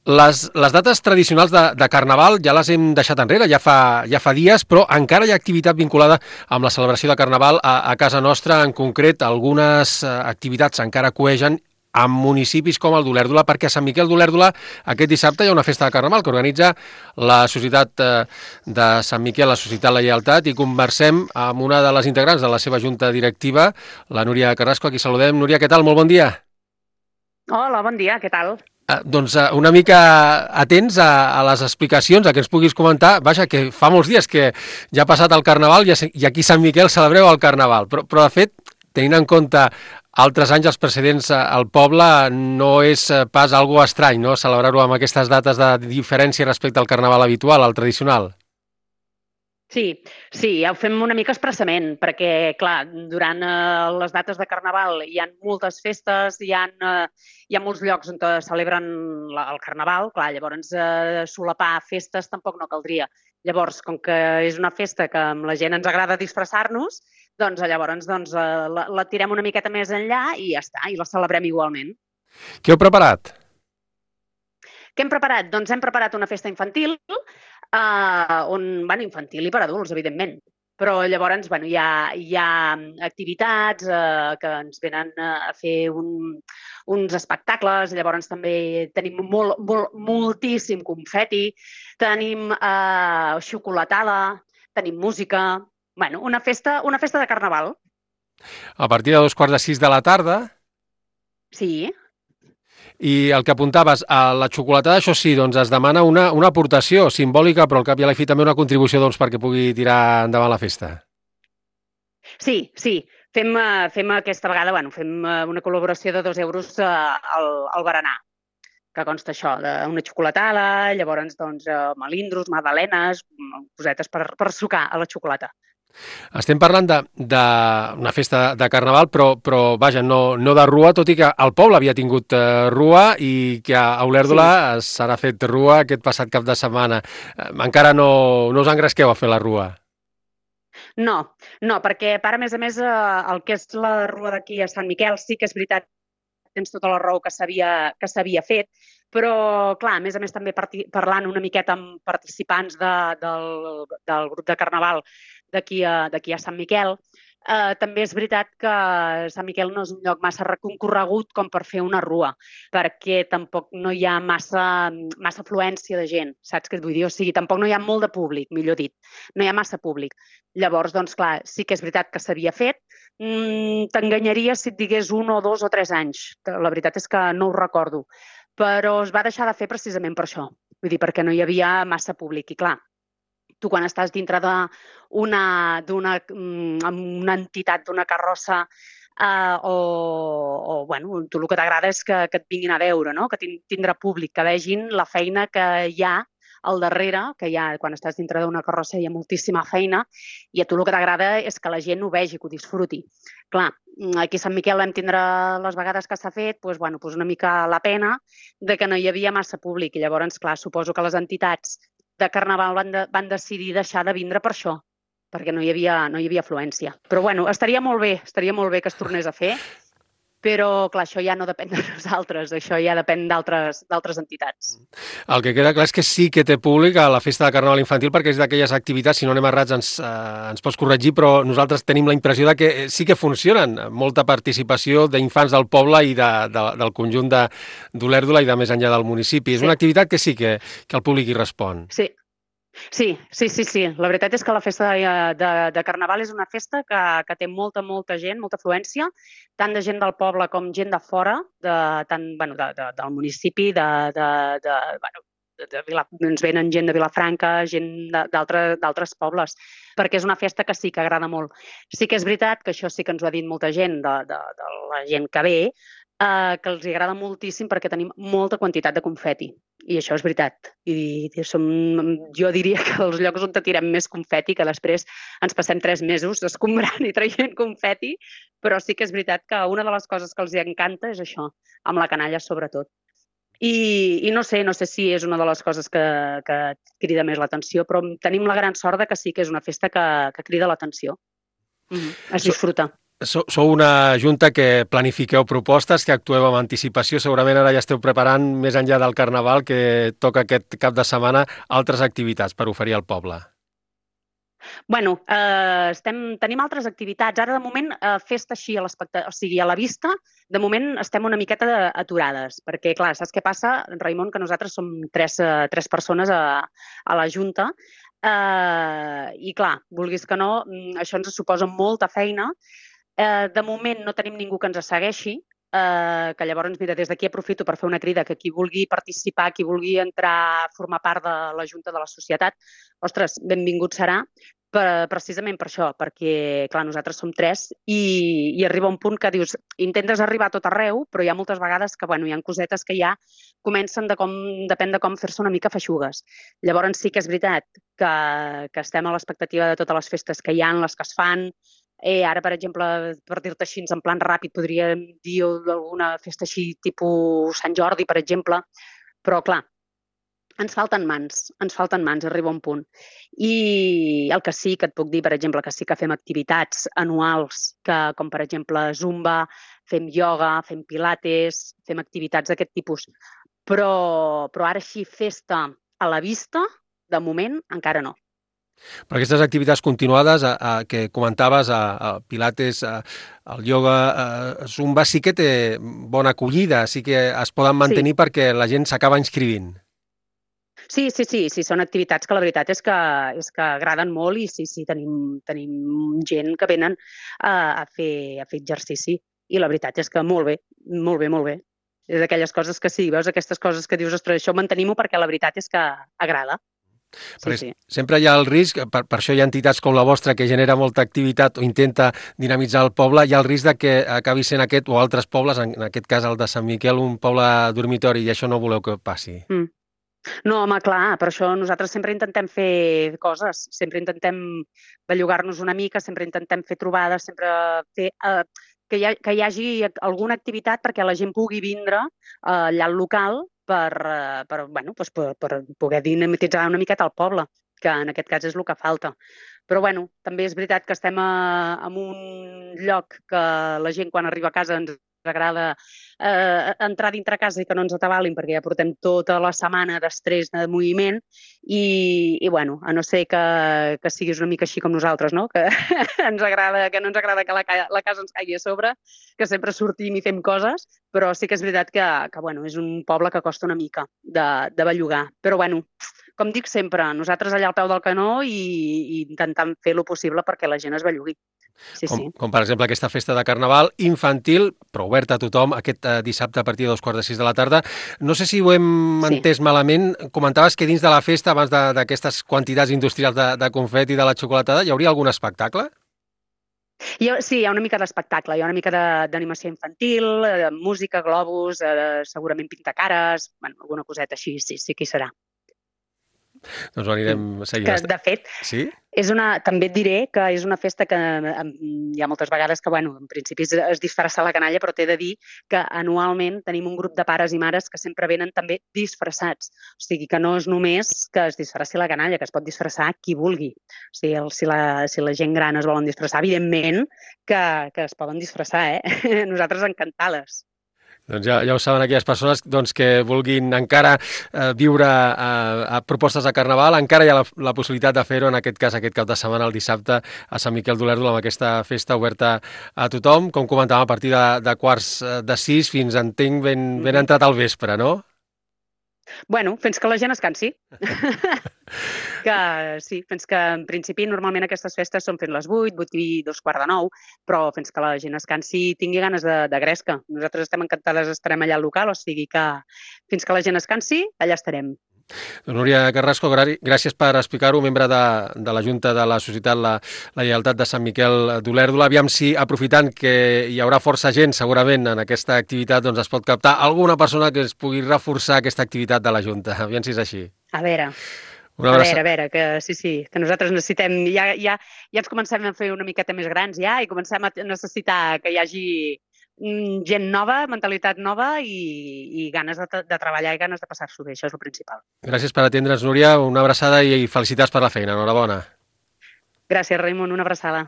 Les dates tradicionals de Carnaval ja les hem deixat enrere, ja fa dies, però encara hi ha activitat vinculada amb la celebració de Carnaval a casa nostra. En concret, algunes activitats encara coegen en municipis com el d'Olèrdola, perquè a Sant Miquel d'Olèrdola aquest dissabte hi ha una festa de Carnaval que organitza la Societat de Sant Miquel, la Societat La Lleialtat, i conversem amb una de les integrants de la seva junta directiva, la Núria Carrasco, a qui saludem. Núria, què tal? Molt bon dia. Hola, bon dia, què tal? Doncs una mica atents a les explicacions, a que ens puguis comentar. Vaja, que fa molts dies que ja ha passat el Carnaval i aquí a Sant Miquel celebreu el Carnaval, però de fet, tenint en compte altres anys, els precedents al poble, no és pas algo estrany, no?, celebrar-ho amb aquestes dates de diferència respecte al Carnaval habitual, al tradicional. Sí, ja ho fem una mica expressament, perquè, clar, durant les dates de Carnaval hi ha moltes festes, hi ha molts llocs on celebren el Carnaval, clar, llavors solapar festes tampoc no caldria. Llavors, com que és una festa que amb la gent ens agrada disfressar-nos, doncs llavors la tirem una miqueta més enllà i ja està, i la celebrem igualment. Què heu preparat? Què hem preparat? Doncs hem preparat una festa infantil, infantil i per adults, evidentment. Però llavors hi ha activitats que ens venen a fer uns espectacles, llavors també tenim moltíssim confeti, tenim xocolatada, tenim música, una festa de Carnaval. A partir de 2:45 de la tarda. Sí. I el que apuntaves, a la xocolatada, això sí, doncs es demana una aportació simbòlica, però al cap i a la fi també una contribució perquè pugui tirar endavant la festa. Sí, fem aquesta vegada, fem una col·laboració de 2 euros al berenar, que consta això, d'una xocolatada, llavors melindros, magdalenes, cosetes per sucar a la xocolata. Estem parlant d'una festa de Carnaval, però vaja, no de rua, tot i que el poble havia tingut rua i que a Olèrdola s'ha fet rua aquest passat cap de setmana. Encara no us engresqueu a fer la rua? No, perquè a més a més, el que és la rua d'aquí a Sant Miquel sí que és veritat, tens tota la raó que s'havia fet, però, clar, a més també parlant una miqueta amb participants del grup de Carnaval d'aquí a Sant Miquel, també és veritat que Sant Miquel no és un lloc massa concorregut com per fer una rua, perquè tampoc no hi ha massa afluència de gent, saps què et vull dir? O sigui, tampoc no hi ha molt de públic, millor dit, no hi ha massa públic. Llavors, doncs, clar, sí que és veritat que s'havia fet. T'enganyaria si et digués 1 o 2 o 3 anys. La veritat és que no ho recordo. Però es va deixar de fer precisament per això. Vull dir, perquè no hi havia massa públic. I clar, tu quan estàs dintre d'una entitat, d'una carrossa, tu el que t'agrada és que et vinguin a veure, no? Que tindrà públic, que vegin la feina que hi ha al darrere, que quan estàs dintre d'una carrossa hi ha moltíssima feina, i a tu el que t'agrada és que la gent ho vegi, que ho disfruti. Clar, aquí a Sant Miquel vam tindre les vegades que s'ha fet una mica la pena de que no hi havia massa públic, i llavors, clar, suposo que les entitats de Carnaval van decidir deixar de vindre per això, perquè no hi havia afluència. Però estaria molt bé que es tornés a fer, però clar, això ja no depèn de nosaltres, això ja depèn d'altres entitats. El que queda clar és que sí que té públic a la festa de Carnaval infantil, perquè és d'aquelles activitats, si no anem errats ens pots corregir, però nosaltres tenim la impressió de que sí que funcionen, molta participació d'infants del poble i del conjunt d'Olèrdola i de més enllà del municipi. És una activitat que sí que el públic hi respon. Sí. La veritat és que la festa de Carnaval és una festa que té molta gent, molta afluència, tant de gent del poble com gent de fora, del municipi, ens venen gent de Vilafranca, gent d'altres pobles, perquè és una festa que sí que agrada molt. Sí que és veritat que això sí que ens ho ha dit molta gent, de la gent que ve, que els agrada moltíssim perquè tenim molta quantitat de confeti. I això és veritat. Jo diria que els llocs on tirem més confeti, que després ens passem 3 mesos escombrant i traient confeti, però sí que és veritat que una de les coses que els encanta és això, amb la canalla sobretot. I no sé si és una de les coses que crida més l'atenció, però tenim la gran sort que sí que és una festa que crida l'atenció. Es disfruta. Sou una junta que planifiqueu propostes, que actueu amb anticipació. Segurament ara ja esteu preparant, més enllà del Carnaval, que toca aquest cap de setmana, altres activitats per oferir al poble. Bueno, tenim altres activitats. Ara, de moment, festa així a la vista, de moment estem una miqueta aturades, perquè, clar, saps què passa, Raimon, que nosaltres som tres persones a la Junta, i, clar, vulguis que no, això ens suposa molta feina. De moment no tenim ningú que ens segueixi, que llavors, mira, des d'aquí aprofito per fer una crida que qui vulgui participar, qui vulgui entrar a formar part de la Junta de la Societat, ostres, benvingut serà, precisament per això, perquè, clar, nosaltres som tres i arriba un punt que dius, intentes arribar a tot arreu, però hi ha moltes vegades que, bueno, hi ha cosetes que ja comencen depèn de com fer-se una mica feixugues. Llavors sí que és veritat que estem a l'expectativa de totes les festes que hi ha, les que es fan. Ara, per exemple, per dir-te així, en plan ràpid, podríem dir alguna festa així, tipus Sant Jordi, per exemple, però, clar, ens falten mans, arriba un punt. I el que sí que et puc dir, per exemple, que sí que fem activitats anuals, com per exemple Zumba, fem ioga, fem pilates, fem activitats d'aquest tipus. Però ara així, festa a la vista, de moment, encara no. Però aquestes activitats continuades que comentaves, pilates, el ioga, Zumba, sí que té bona acollida, sí que es poden mantenir perquè la gent s'acaba inscrivint. Sí, són activitats que la veritat és que agraden molt i sí, tenim gent que venen a fer exercici i la veritat és que molt bé. És d'aquelles coses que sí, veus aquestes coses que dius, ostres, això mantenim-ho perquè la veritat és que agrada. Sí. Sempre hi ha el risc, per això hi ha entitats com la vostra que genera molta activitat o intenta dinamitzar el poble, hi ha el risc de que acabi sent aquest o altres pobles, en aquest cas el de Sant Miquel, un poble dormitori, i això no voleu que passi. No, home, clar, per això nosaltres sempre intentem fer coses, sempre intentem bellugar-nos una mica, sempre intentem fer trobades, sempre fer que hi hagi alguna activitat perquè la gent pugui vindre allà al local per poder dinamitzar una miqueta el poble, que en aquest cas és el que falta. Però bueno, també és veritat que estem en un lloc que la gent quan arriba a casa ens agrada entrar dintre casa i que no ens atabalin perquè ja portem tota la setmana d'estrès, de moviment i bueno, a no ser que siguis una mica així com nosaltres, no? Que no ens agrada que la casa ens caigui a sobre, que sempre sortim i fem coses, però sí que és veritat que bueno, és un poble que costa una mica de bellugar. Però bueno, com dic sempre, nosaltres allà al peu del canó i intentant fer el possible perquè la gent es bellugui. Sí. Com per exemple aquesta festa de Carnaval infantil, però oberta a tothom, aquest dissabte a partir de 5:45 de la tarda. No sé si ho hem entès malament, comentaves que dins de la festa, abans d'aquestes quantitats industrials de confeti i de la xocolatada, hi hauria algun espectacle? Sí, hi ha una mica d'espectacle, hi ha una mica d'animació infantil, música, globus, segurament pintacares, bueno, alguna coseta així, sí que hi serà. Doncs ho anirem seguint. Que, de fet, sí? També et diré que és una festa que hi ha moltes vegades que, bueno, en principi es disfressa la canalla, però t'he de dir que anualment tenim un grup de pares i mares que sempre venen també disfressats. O sigui, que no és només que es disfressi la canalla, que es pot disfressar qui vulgui. O sigui, si la gent gran es volen disfressar, evidentment que es poden disfressar, Nosaltres encantades. Doncs ja ho saben aquelles persones que vulguin encara viure a propostes de Carnaval, encara hi ha la possibilitat de fer-ho, en aquest cas, aquest cap de setmana, el dissabte, a Sant Miquel d'Olèrdol, amb aquesta festa oberta a tothom, com comentàvem, a partir de 5:45 fins, entenc, ben entrat al vespre, no? Bueno, fins que la gent es cansi. Fins que en principi normalment aquestes festes són fins les 8, 8 i 2:15, però fins que la gent es cansi i tingui ganes de gresca. Nosaltres estem encantades, estarem allà al local, o sigui que fins que la gent es cansi, allà estarem. Doncs Núria Carrasco, gràcies per explicar-ho, membre de la Junta de la Societat La Lleialtat de Sant Miquel d'Olèrdol. Aviam si, aprofitant que hi haurà força gent segurament en aquesta activitat, doncs es pot captar alguna persona que es pugui reforçar aquesta activitat de la Junta. Aviam si és així. A veure, que sí, que nosaltres necessitem, ja ens comencem a fer una miqueta més grans ja i comencem a necessitar que hi hagi gent nova, mentalitat nova i ganes de treballar i ganes de passar-s'ho bé, això és el principal. Gràcies per atendre'ns, Núria, una abraçada i felicitats per la feina, enhorabona. Gràcies, Raimon, una abraçada.